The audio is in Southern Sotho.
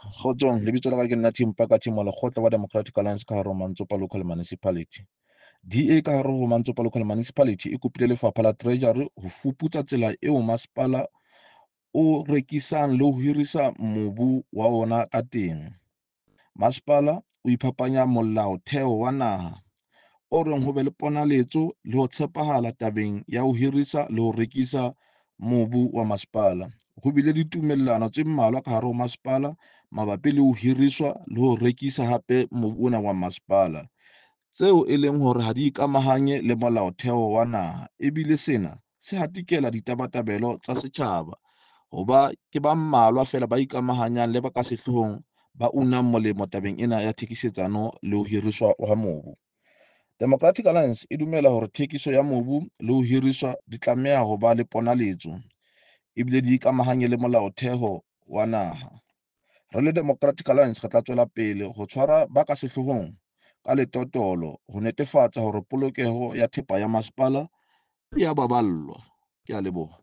Kgotsong, lebitso la ka ke nna Tim Paka Team wa lekgotla wa Democratic Alliance ka hare ho Mantsopa Local Municipality. DA ka hare ho Mantsopa Local Municipality e kopile lefapha la Treasury ho fuputsa tsela eo masepala o rekisang le ho hirisa mobu wa ona ka teng. Masepala o iphapanya molaotheo wa naha o reng ho be le ponaletso le ho tshepahala tabeng ya ho hirisa le ho rekisa mobu wa masepala. Ho bile ditumellano tse mmalwa ka hare ho masepala mabapi le ho hiriswa le ho rekisa hape mobu ona wa masepala, tseo e leng hore ha di ikamahanye le molaotheo wa naha, ebile sena se hatikela ditabatabelo tsa setjhaba hoba ke ba mmalwa feela ba ikamahanyang le ba ka sehloohong ba unang molemo tabeng ena ya thekisetsano le ho hiriswa ha mobu. Democratic Alliance e dumela hore thekiso ya mobu le ho hiriswa di tlameha ho ba le ponaletso ebile di ikamahanye le molaotheo wa naha. Re le Democratic Alliance re tla tswela pele ho tshwara ba ka sehloohong ka letotolo ho netefatsa hore polokeho ya thepa ya masepala e ya baballwa. Ke a leboha.